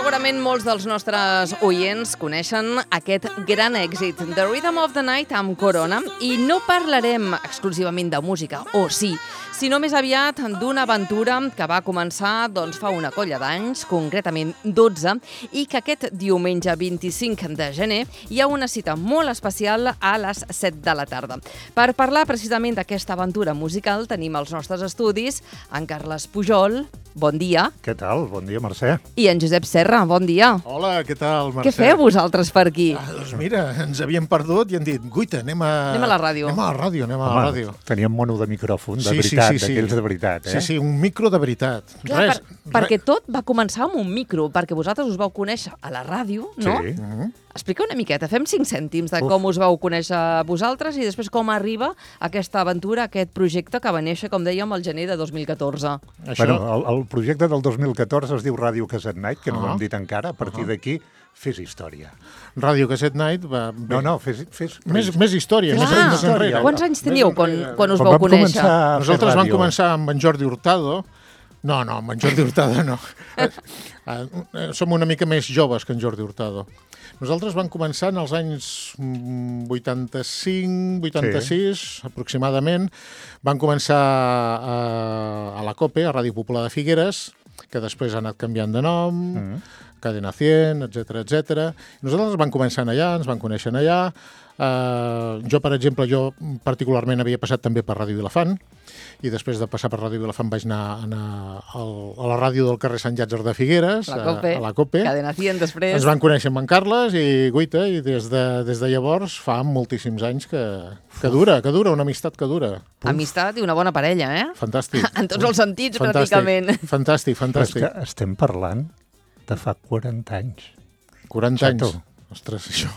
Segurament molts dels nostres oients coneixen aquest gran èxit, The Rhythm of the Night amb Corona, i no parlarem exclusivament de música, o sí, sinó més aviat d'una aventura que va començar fa una colla d'anys, concretament 12, i que aquest diumenge 25 de gener hi ha una cita molt especial a les 7 de la tarda. Per parlar precisament d'aquesta aventura musical tenim als nostres estudis en Carles Pujol, bon dia. Què tal? Bon dia, Mercè. I en Josep Serra, bon dia. Hola, què tal, Mercè? Què feu vosaltres per aquí? Doncs mira, ens havíem perdut i han dit, guaita, anem a la ràdio. Anem a la ràdio. Teníem mono de micròfon, de veritat, d'aquells de veritat. Sí, un micro de veritat. Clar, perquè tot va començar amb un micro, perquè vosaltres us vau conèixer a la ràdio, no? Sí. Explica una miqueta, fem 5 cèntims de com us vau conèixer vosaltres i després com arriba aquesta aventura, aquest projecte que va néixer, com dèiem, al gener de 2014. Bueno, el projecte del 2014 es diu Ràdio Cassette Night, que no ho hem dit encara. A partir d'aquí, fes història. Ràdio Cassette Night va... No, fes... Més història. Més enrere. Quants anys teníeu quan us vau conèixer? Nosaltres vam començar amb en Jordi Hurtado. No, amb en Jordi Hurtado no. Som una mica més joves que en Jordi Hurtado. Nosaltres vam començar en els anys 85, 86, aproximadament. Vam començar a la COPE, a Ràdio Popular de Figueres, que després ha anat canviant de nom, Cadena 100, etc. Nosaltres vam començar allà, ens vam conèixer allà. Jo, per exemple, particularment havia passat també per Ràdio Vilafant, i després de passar per Ràdio Vilafant vaig anar a la ràdio del carrer Sant Llàtzer de Figueres, a la COPE. Cadena 100 després. Ens van conèixer amb en Carles i guaita, i des de llavors fa moltíssims anys que dura, una amistat que dura. Amistat i una bona parella, eh? Fantàstic. En tots els sentits, pràcticament. Fantàstic. Però és que estem parlant de fa 40 anys. 40 anys. Ostres, això...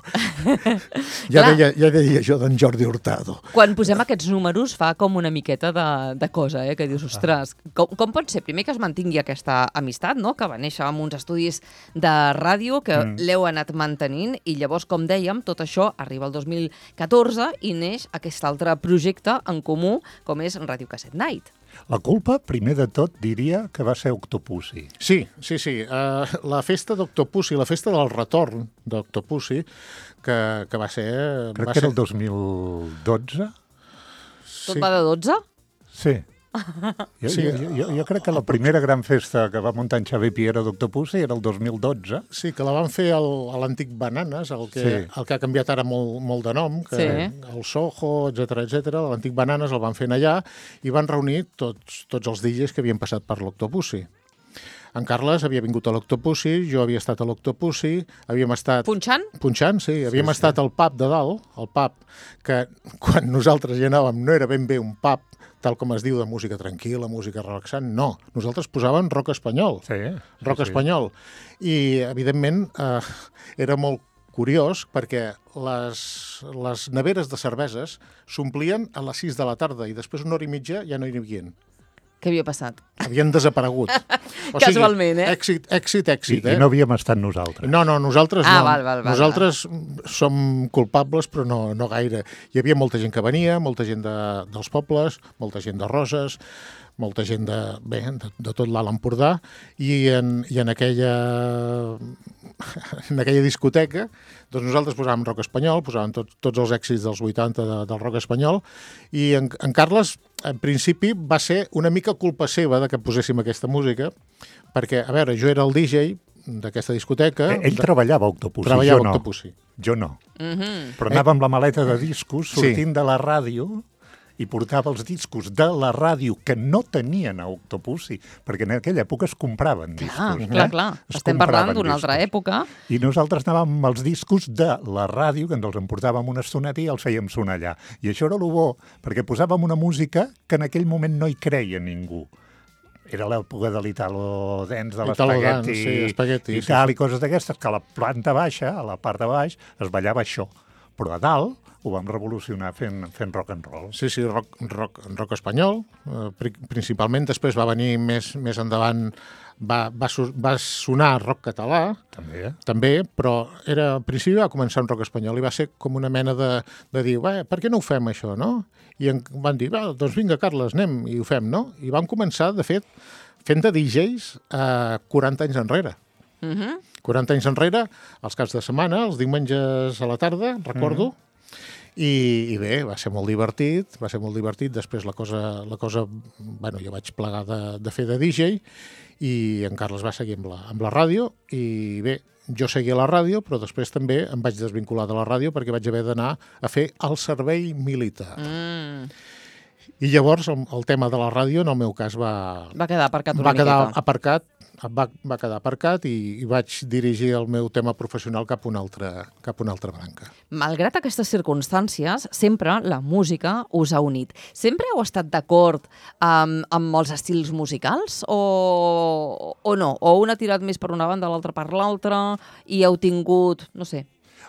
Ja deia jo d'en Jordi Hurtado. Quan posem aquests números fa com una miqueta de cosa, que dius, ostres, com pot ser? Primer que es mantingui aquesta amistat, no?, que va néixer amb uns estudis de ràdio que l'heu anat mantenint, i llavors, com dèiem, tot això arriba al 2014 i neix aquest altre projecte en comú, com és Ràdio Cassette Night. La culpa, primer de tot, diria que va ser Octopussy. Sí. La festa d'Octopussy, la festa del retorn d'Octopussy, que va ser... Crec que era el 2012. Tot va de 12? Sí. Jo crec que la primera gran festa que va muntar en Xavier Piera d'Octopussy era el 2012. Sí, que la van fer a l'antic Bananes, el que ha canviat ara molt de nom, el Soho, etc. L'antic Bananes el van fer allà i van reunir tots els DJs que havien passat per l'Octopussy. En Carles havia vingut a l'Octopussy, jo havia estat a l'Octopussy, havíem estat... Punxant? Punxant, sí. Havíem estat al pub de dalt, el pub que quan nosaltres hi anàvem no era ben bé un pub, tal com es diu, de música tranquil·la, música relaxant, no. Nosaltres posàvem rock espanyol. Rock espanyol. I, evidentment, era molt curiós perquè les neveres de cerveses s'omplien a les 6 de la tarda i després una hora i mitja ja no hi havia. Què havia passat? Havien desaparegut. Casualment, eh? Èxit. I no havíem estat nosaltres. No, nosaltres no. Val. Nosaltres som culpables, però no gaire. Hi havia molta gent que venia, molta gent dels pobles, molta gent de Roses, molta gent de tot l'Alt Empordà, i en aquella discoteca doncs nosaltres posàvem rock espanyol, posàvem tots els èxits dels 80 del rock espanyol, i en Carles, en principi, va ser una mica culpa seva de que poséssim aquesta música, perquè, a veure, jo era el DJ d'aquesta discoteca. Ell treballava a Octopussy. Jo no. Però anava amb la maleta de discos sortint de la ràdio i portava els discos de la ràdio que no tenien a Octopussy, perquè en aquella època es compraven discos. Clar. Estem parlant d'una altra època. I nosaltres anàvem amb els discos de la ràdio, que ens els emportàvem una estoneta i els fèiem sonar allà. I això era el bo, perquè posàvem una música que en aquell moment no hi creia ningú. Era l'època de l'Italo Dance, de l'espagueti i coses d'aquestes, que a la planta baixa, a la part de baix, es ballava això. Però a dalt ho vam revolucionar fent rock and roll. Sí, rock espanyol, principalment. Després va venir més endavant, va sonar rock català, també, però al principi va començar un rock espanyol i va ser com una mena de dir, per què no ho fem això, no? I van dir, doncs vinga, Carles, anem i ho fem, no? I vam començar, de fet, fent de DJs 40 anys enrere. 40 anys enrere, els caps de setmana, els diumenges a la tarda, recordo, i bé, va ser molt divertit, després la cosa bueno, jo vaig plegar de fer de DJ, i en Carles va seguir amb la ràdio, i bé, jo seguia a la ràdio, però després també em vaig desvincular de la ràdio perquè vaig haver d'anar a fer el servei militar. I llavors el tema de la ràdio, en el meu cas, va quedar aparcat una miqueta. Va quedar aparcat i vaig dirigir el meu tema professional cap a una altra branca. Malgrat aquestes circumstàncies, sempre la música us ha unit. Sempre heu estat d'acord amb els estils musicals o no? O un ha tirat més per una banda, l'altre per l'altra i heu tingut, no sé,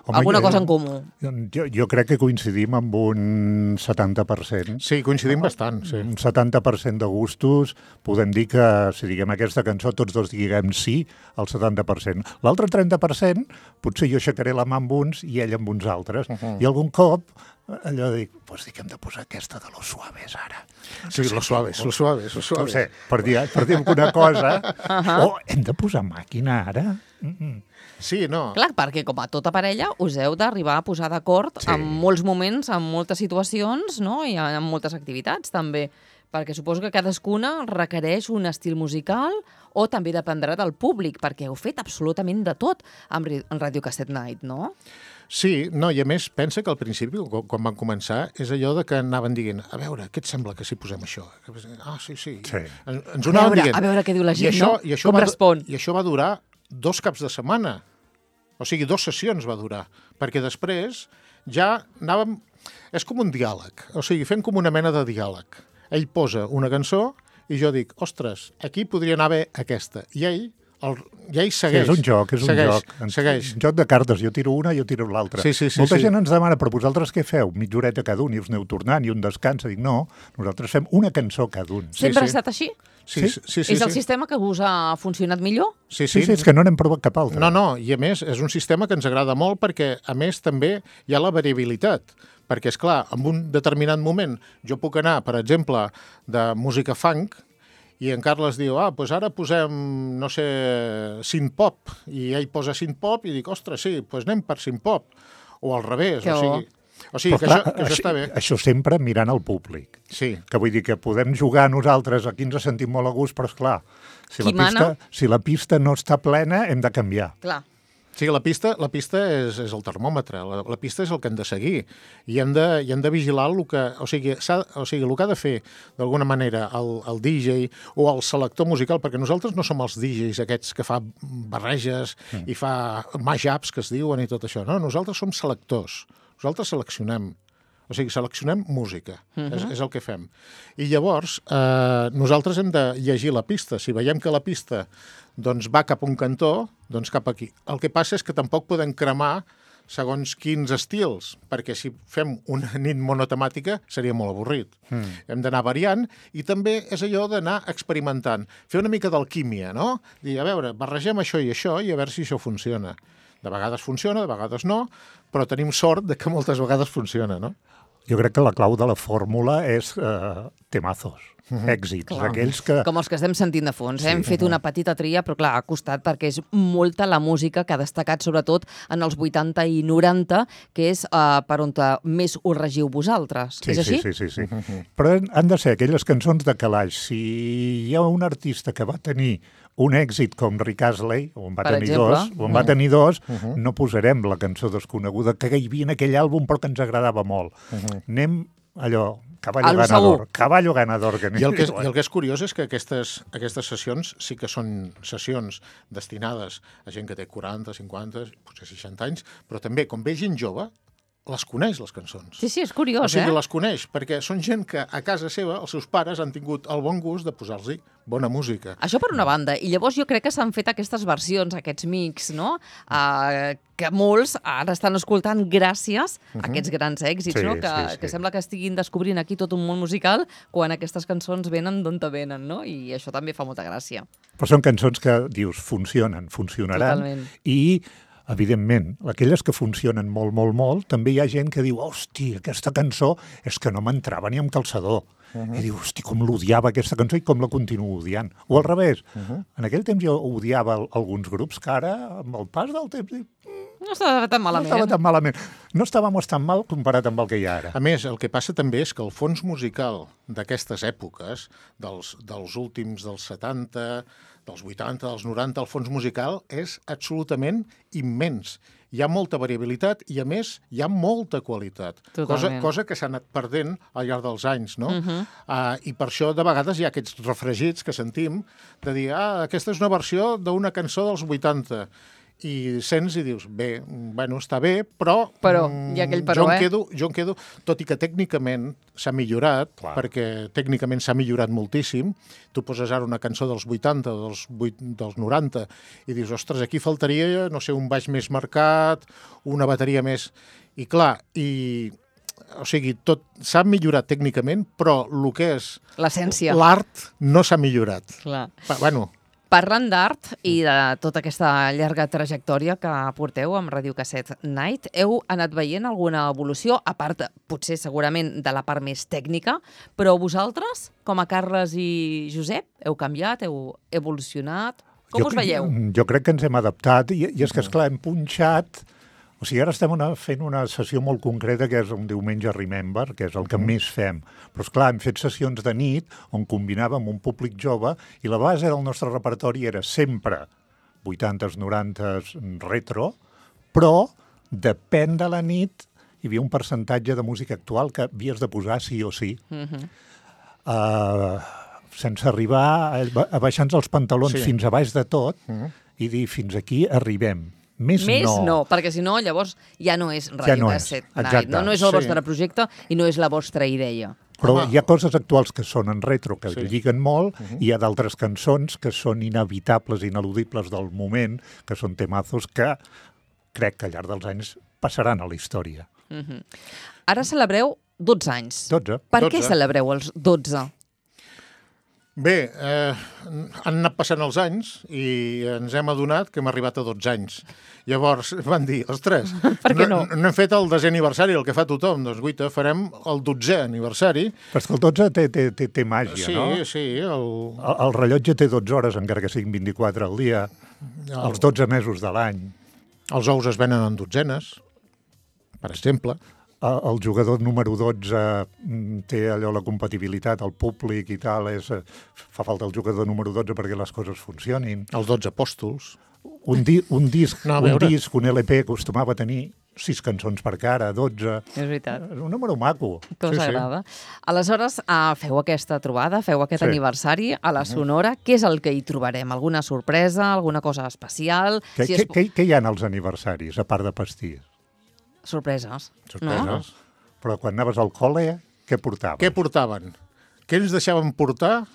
alguna cosa en comú? Jo crec que coincidim amb un 70%. Sí, coincidim bastant. Sí. Un 70% de gustos. Podem dir que, si diguem aquesta cançó, tots dos diguem sí al 70%. L'altre 30%, potser jo aixecaré la mà amb uns i ell amb uns altres. I algun cop allò dic, pues dic, hem de posar aquesta de Los Suaves ara. Sí, Los Suaves. No sé, per dir alguna cosa. O hem de posar màquina ara. Sí, no. Clar, perquè com a tota parella us heu d'arribar a posar d'acord en molts moments, en moltes situacions, no? I en moltes activitats també, perquè suposo que cadascuna requereix un estil musical o també dependrà del públic, perquè heu fet absolutament de tot en Radio Cassette Night, no? Sí, no, i a més pensa que al principi, quan van començar, és allò de que anaven dient, a veure, què et sembla que si posem això? Ah, sí. Ens ho anaven dient. A veure què diu la gent, no? Com respon? I això va durar 2 caps de setmana. O sigui, 2 sessions va durar. Perquè després ja anàvem... És com un diàleg. O sigui, fem com una mena de diàleg. Ell posa una cançó i jo dic, ostres, aquí podria anar bé aquesta. I ell segueix. Sí, és un joc. Segueix. Un joc de cartes. Jo tiro una, jo tiro l'altra. Sí, Molta gent ens demana, però vosaltres què feu? Mitja horeta cada un i us aneu tornant i un descansa. Dic, no, nosaltres fem una cançó cada un. Sempre ha estat així? Sí. És el sistema que us ha funcionat millor? Sí, és que no n'hem provat cap altre. No, i a més és un sistema que ens agrada molt perquè a més també hi ha la variabilitat. Perquè, és clar, en un determinat moment jo puc anar, per exemple, de música funk i en Carles diu, doncs ara posem, no sé, synth-pop, i ell posa synth-pop i dic, ostres, sí, doncs anem per synth-pop, o al revés, o sigui que això està bé. Això sempre mirant al públic. Sí. Que vull dir que podem jugar nosaltres, aquí ens sentim molt a gust, però esclar, si la pista no està plena, hem de canviar. Clar. Sí, la pista és el termòmetre, la pista és el que hem de seguir i hem de vigilar el que... O sigui, el que ha de fer, d'alguna manera, el DJ o el selector musical, perquè nosaltres no som els DJs aquests que fa barreges i fa mashups, que es diuen, i tot això. No, nosaltres som selectors. Nosaltres seleccionem. O sigui, seleccionem música, és el que fem. I llavors, nosaltres hem de llegir la pista. Si veiem que la pista doncs, va cap a un cantó, doncs cap aquí. El que passa és que tampoc podem cremar segons quins estils, perquè si fem una nit monotemàtica seria molt avorrit. Hem d'anar variant i també és allò d'anar experimentant. Fer una mica d'alquímia, no? Dir, a veure, barregem això i a veure si això funciona. De vegades funciona, de vegades no, però tenim sort de que moltes vegades funciona, no? Jo crec que la clau de la fórmula és temazos, èxits, aquells que... Com els que estem sentint de fons. Hem fet una petita tria, però clar, ha costat perquè és molta la música que ha destacat, sobretot en els 80 i 90, que és per on més us regiu vosaltres. És així? Sí. Però han de ser aquelles cançons de calaix. Si hi ha un artista que va tenir un èxit com Rick Astley, on va tenir dos, no posarem la cançó desconeguda que hi havia en aquell àlbum però que ens agradava molt. Anem allò, caballo ganador. I el que és curiós és que aquestes sessions sí que són sessions destinades a gent que té 40, 50, potser 60 anys, però també, com ve gent jove, les coneix, les cançons. Sí, és curiós, O sigui, les coneix, perquè són gent que a casa seva, els seus pares han tingut el bon gust de posar-los bona música. Això per una banda. I llavors jo crec que s'han fet aquestes versions, aquests mix, no? Que molts ara estan escoltant gràcies a aquests grans èxits, no? Que sembla que estiguin descobrint aquí tot un món musical quan aquestes cançons venen d'on te venen, no? I això també fa molta gràcia. Però són cançons que, dius, funcionaran. Totalment. I evidentment, aquelles que funcionen molt, també hi ha gent que diu, hosti, aquesta cançó és que no m'entrava ni amb calçador. I diu, hosti, com l'odiava aquesta cançó i com la continuo odiant. O al revés, en aquell temps jo odiava alguns grups que ara, amb el pas del temps, No estava tan no malament. estava tan malament. No estàvem tan mal comparat amb el que hi ha ara. A més, el que passa també és que el fons musical d'aquestes èpoques, dels últims dels 70, dels 80, dels 90, el fons musical és absolutament immens. Hi ha molta variabilitat i, a més, hi ha molta qualitat. Totalment. Cosa que s'ha anat perdent al llarg dels anys, no? I per això, de vegades, hi ha aquests refregits que sentim de dir, aquesta és una versió d'una cançó dels 80, i sents i dius, bé, bueno, està bé, però hi ha aquell però, jo em quedo, tot i que tècnicament s'ha millorat, Clar. perquè tècnicament s'ha millorat moltíssim, tu poses ara una cançó dels 80, dels 90, i dius, ostres, aquí faltaria, no sé, un baix més marcat, una bateria més... I clar, o sigui, tot s'ha millorat tècnicament, però el que és L'essència. l'art no s'ha millorat. Clar. Bueno, Parlant d'art i de tota aquesta llarga trajectòria que porteu amb Radio Cassette Night, heu anat veient alguna evolució, a part, potser segurament, de la part més tècnica, però vosaltres, com a Carles i Josep, heu canviat, heu evolucionat? Com us veieu? Jo crec que ens hem adaptat i és que, esclar, hem punxat... O sigui, ara estem fent una sessió molt concreta que és un diumenge Remember, que és el que més fem. Però, esclar, hem fet sessions de nit on combinàvem un públic jove i la base del nostre repertori era sempre 80s, 90s, retro, però depèn de la nit hi havia un percentatge de música actual que havies de posar sí o sí. Sense arribar a baixar-nos els pantalons fins a baix de tot i dir fins aquí arribem. Més no, perquè si no, llavors ja no és Radio Cassette Night. No és el vostre projecte i no és la vostra idea. Però hi ha coses actuals que són en retro, que lliguen molt, i hi ha d'altres cançons que són inevitables, ineludibles del moment, que són temazos que crec que al llarg dels anys passaran a la història. Ara celebreu 12 anys. 12. Per què celebreu els 12? Bé, han anat passant els anys i ens hem adonat que hem arribat a 12 anys. Llavors van dir, ostres, per què no? No hem fet el 10è aniversari, el que fa tothom. Doncs, guaita, farem el 12è aniversari. Però és que el 12 té màgia, no? Sí. El rellotge té 12 hores, encara que siguin 24 al dia, els 12 mesos de l'any. Els ous es venen en dotzenes, per exemple. El jugador número 12 té allò, la compatibilitat, el públic i tal, fa falta el jugador número 12 perquè les coses funcionin. Els 12 apòstols. Un disc, un LP acostumava a tenir 6 cançons per cara, 12. És veritat. És un número maco. Que us agrada. Aleshores, feu aquesta trobada, feu aquest aniversari a la Sonora. Què és el que hi trobarem? Alguna sorpresa, alguna cosa especial? Què hi ha als aniversaris, a part de pastís? Sorpreses. No? Però quan anaves al col·le, què portaven? Què portaven? Què ens deixaven portar?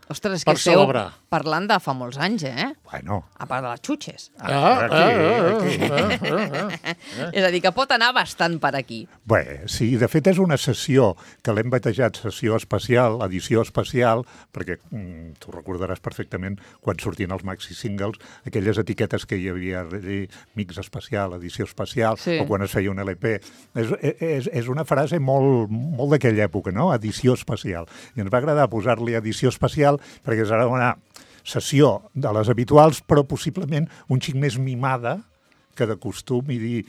Ostres, és que esteu parlant de fa molts anys, eh? Bueno. A part de les xutxes. Aquí. És a dir, que pot anar bastant per aquí. Bé, sí, de fet és una sessió que l'hem batejat sessió especial, edició especial, perquè tu recordaràs perfectament quan sortien els maxi singles, aquelles etiquetes que hi havia de mix especial, edició especial, o quan es feia un LP. És una frase molt d'aquella època, no? Edició especial. I ens va agradar posar-li edició especial perquè serà una sessió de les habituals, però possiblement un xic més mimada que de costum, i dir,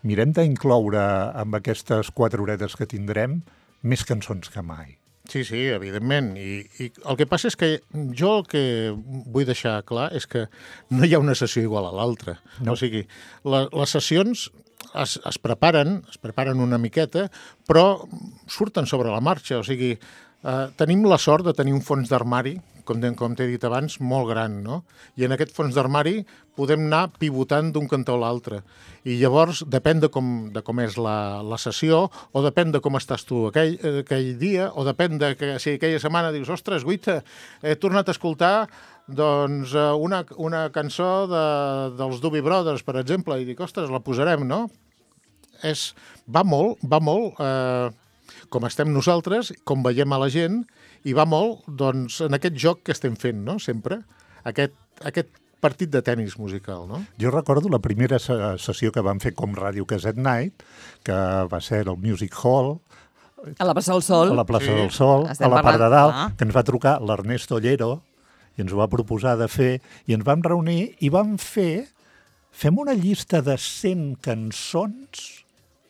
mirem d'incloure amb aquestes 4 horetes que tindrem més cançons que mai. Sí, evidentment. I el que passa és que jo el que vull deixar clar és que no hi ha una sessió igual a l'altra. No. O sigui, les sessions es preparen una miqueta, però surten sobre la marxa. O sigui, tenim la sort de tenir un fons d'armari, com t'he dit abans, molt gran, no? I en aquest fons d'armari podem anar pivotant d'un cantó a l'altre. I llavors depèn de com és la sessió, o depèn de com estàs tu aquell dia, o depèn de que si aquella setmana dius, ostres, guaita, he tornat a escoltar doncs, una cançó dels Doobie Brothers, per exemple, i dic, ostres, la posarem, no? Va molt com estem nosaltres, com veiem a la gent, i va molt doncs, en aquest joc que estem fent, no?, sempre, aquest partit de tennis musical, no? Jo recordo la primera sessió que vam fer com Radio Cassette Night, que va ser al Music Hall, A la plaça del Sol. A la plaça Sí. del Sol, Estem a la part de parlant- dalt, Ah. que ens va trucar l'Ernesto Llero i ens ho va proposar de fer, i ens vam reunir i vam fem una llista de 100 cançons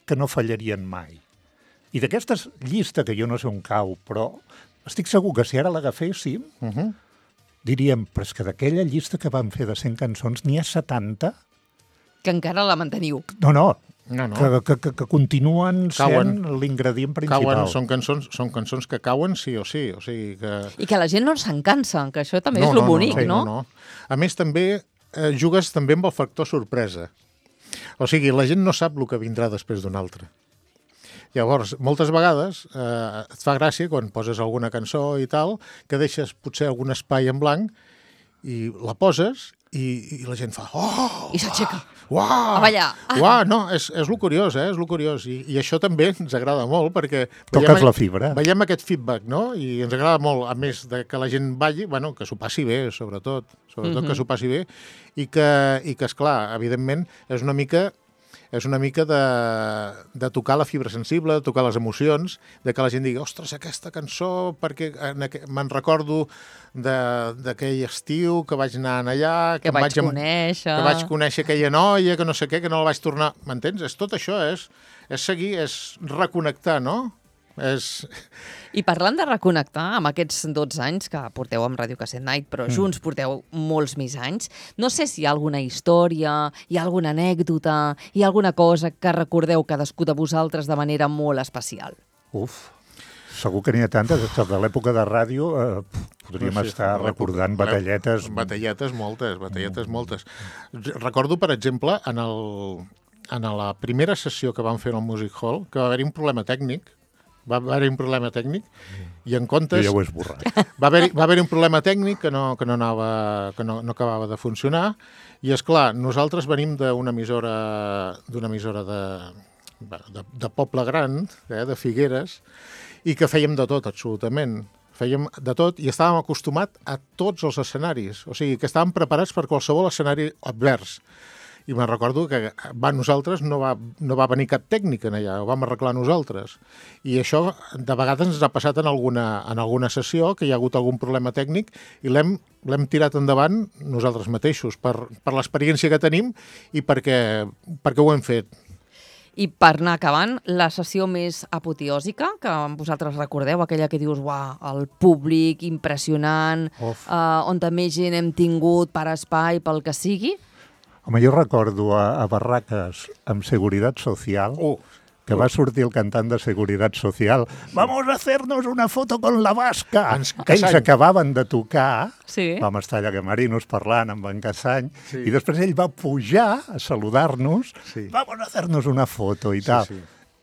que no fallarien mai. I d'aquesta llista, que jo no sé on cau, però estic segur que si ara l'agaféssim, diríem, però és que d'aquella llista que vam fer de 100 cançons n'hi ha 70? Que encara la manteniu. No, No. que continuen sent Cauen. l'ingredient principal. Són cançons que cauen sí o sí. O sigui que... I que la gent no se'n cansa, que això també és lo bonic, no? No. A més, també jugues també amb el factor sorpresa. O sigui, la gent no sap el que vindrà després d'un altre. Llavors, moltes vegades et fa gràcia quan poses alguna cançó i tal, que deixes potser algun espai en blanc i la poses i la gent fa oh! I s'aixeca. Uau! A ballar. Uau, no, és lo curiós, és lo curiós. I això també ens agrada molt perquè... Toques la fibra. Veiem aquest feedback, no? I ens agrada molt, a més de que la gent balli, bueno, que s'ho passi bé, sobretot que s'ho passi bé, i que esclar, evidentment, és una mica de tocar la fibra sensible, de tocar les emocions, de que la gent digui, ostres, aquesta cançó, perquè me'n recordo d'aquell estiu que vaig anar allà, Que vaig conèixer. que vaig conèixer aquella noia, que no sé què, que no la vaig tornar... M'entens? Tot això és seguir, és reconnectar, no? I parlant de reconnectar amb aquests 12 anys que porteu amb Radio Cassette Night, però junts porteu molts més anys, no sé si hi ha alguna història, hi ha alguna anècdota, hi ha alguna cosa que recordeu cadascú de vosaltres de manera molt especial. Segur que n'hi ha tantes. De l'època de ràdio podríem estar recordant batalletes. Batalletes moltes. Recordo, per exemple, en la primera sessió que vam fer al Music Hall, que va haver-hi un problema tècnic, i en comptes... Jo ja ho he esborrat. Va haver-hi un problema tècnic que no acabava de funcionar, i és clar, nosaltres venim d'una emissora de poble gran, de Figueres, i que fèiem de tot, absolutament. Fèiem de tot i estàvem acostumats a tots els escenaris. O sigui, que estàvem preparats per qualsevol escenari advers. I me'n recordo que nosaltres no va venir cap tècnic en allà, ho vam arreglar nosaltres. I això de vegades ens ha passat en alguna sessió, que hi ha hagut algun problema tècnic, i l'hem tirat endavant nosaltres mateixos, per l'experiència que tenim i perquè ho hem fet. I per anar acabant, la sessió més apoteòsica que vosaltres recordeu, aquella que dius, uah, el públic impressionant, on també gent hem tingut per espai, pel que sigui? Home, jo recordo a Barraques amb Seguridad Social, que va sortir el cantant de Seguridad Social. Vamos a hacernos una foto con la Vasca. Ells acabaven de tocar, vam estar allà a Camerinos parlant amb en Casany, i després ell va pujar a saludar-nos, vamos a hacernos una foto i tal.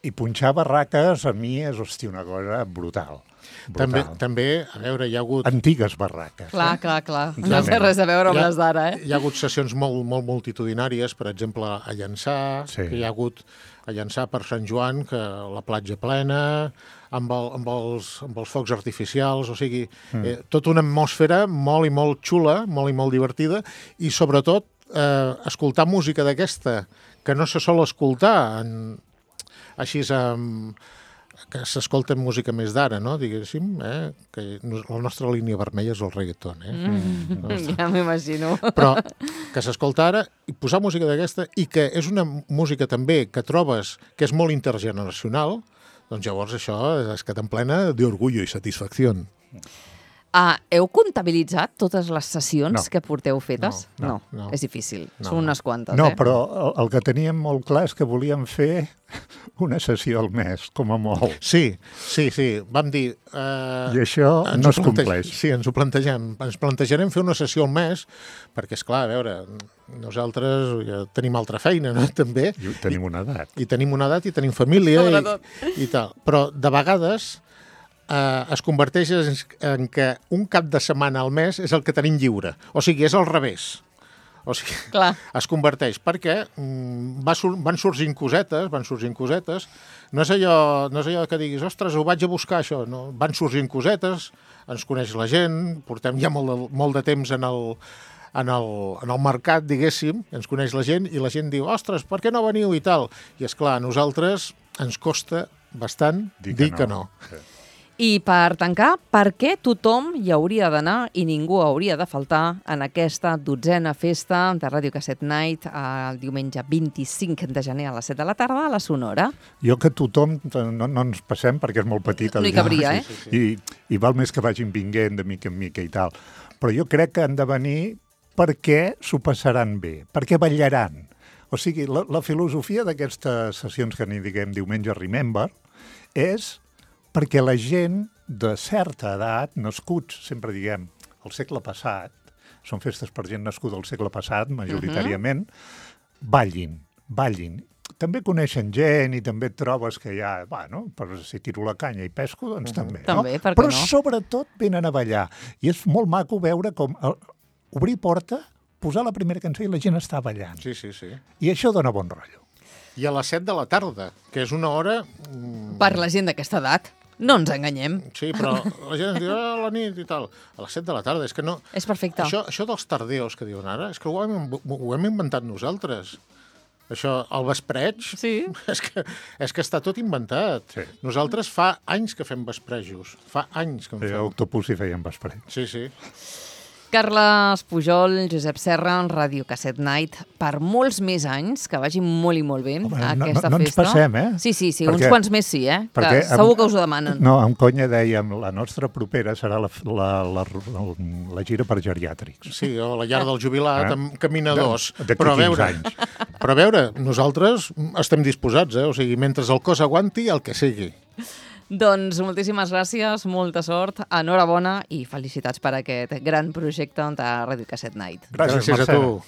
I punxar Barraques a mi és, hòstia, una cosa brutal. També, a veure, hi ha hagut... Antigues barraques. Clar. No té res a veure amb les d'ara, Hi ha hagut sessions molt multitudinàries, per exemple, a Llançà, que hi ha hagut a Llançà per Sant Joan, que la platja plena, amb els focs artificials, o sigui, tota una atmosfera molt i molt xula, molt i molt divertida, i sobretot escoltar música d'aquesta, que no se sol escoltar així que s'escolta música més d'ara, no? Diguéssim, que la nostra línia vermella és el reggaeton, Ja m'imagino. Però que s'escolta ara i posar música d'aquesta, i que és una música també que trobes que és molt intergeneracional, doncs llavors això és que t'emplena d'orgullo i satisfacció. Heu comptabilitzat totes les sessions que porteu fetes? No, és difícil. Són unes quantes, No, però el que teníem molt clar és que volíem fer una sessió al mes, com a molt. Sí. Vam dir... I això no es compleix. Sí, ens ho plantegem. Ens plantejarem fer una sessió al mes, perquè, esclar, a veure, nosaltres ja tenim altra feina, no?, també. I tenim una edat. I tenim una edat i tenim família i tal. Però de vegades es converteix en que un cap de setmana al mes és el que tenim lliure. O sigui, és al revés. O sigui, es converteix, perquè van sorgint cosetes, no és allò que diguis, ostres, ho vaig a buscar, això. No, van sorgint cosetes, ens coneix la gent, portem ja molt de temps en el mercat, diguéssim, ens coneix la gent, i la gent diu, ostres, per què no veniu i tal? I, esclar, a nosaltres ens costa bastant dir que no. Sí. I per tancar, per què tothom hi hauria d'anar i ningú hauria de faltar en aquesta 12a festa de Ràdio Casset Night el diumenge 25 de gener a les 7 de la tarda a la Sonora? Jo que tothom, no ens passem perquè és molt petit. No hi cabria, eh? I val més que vagin vinguent de mica en mica i tal. Però jo crec que han de venir perquè s'ho passaran bé, perquè ballaran. O sigui, la filosofia d'aquestes sessions que n'hi diguem Diumenge Remember és perquè la gent de certa edat, nascuts, sempre diguem, al segle passat, són festes per gent nascuda al segle passat, majoritàriament, ballin. També coneixen gent i també et trobes que hi ha, bueno, per si tiro la canya i pesco, doncs també, no? També, per què Però no? sobretot venen a ballar. I és molt maco veure com obrir porta, posar la primera cançó i la gent està ballant. Sí. I això dona bon rotllo. I a les 7 de la tarda, que és una hora... Per la gent d'aquesta edat. No ens enganyem. Sí, però la gent ens diu, a la nit i tal. A les 7 de la tarda, és que no... És perfecte. Això dels tardeos que diuen ara, és que ho hem inventat nosaltres. Això, el vespreig, Sí. és que està tot inventat. Sí. Nosaltres fa anys que fem vesprejos. Fa anys que en A fem. Octopus hi feien vespreig. Sí. Carles Pujol, Josep Serra, Ràdio Casset Night, per molts més anys, que vagi molt i molt bé aquesta no ens festa. passem, eh? Sí, Perquè- uns quants més sí, eh? Que segur que us ho demanen. No, amb conya dèiem, la nostra propera serà la gira per geriàtrics. Sí, o la llar del jubilat, amb caminadors. D'aquí Però a 15 veure, anys. però a veure, nosaltres estem disposats, O sigui, mentre el cos aguanti, el que sigui. Doncs moltíssimes gràcies, molta sort, enhorabona i felicitats per aquest gran projecte de Ràdio Casset Night. Gràcies a Mercè. tu.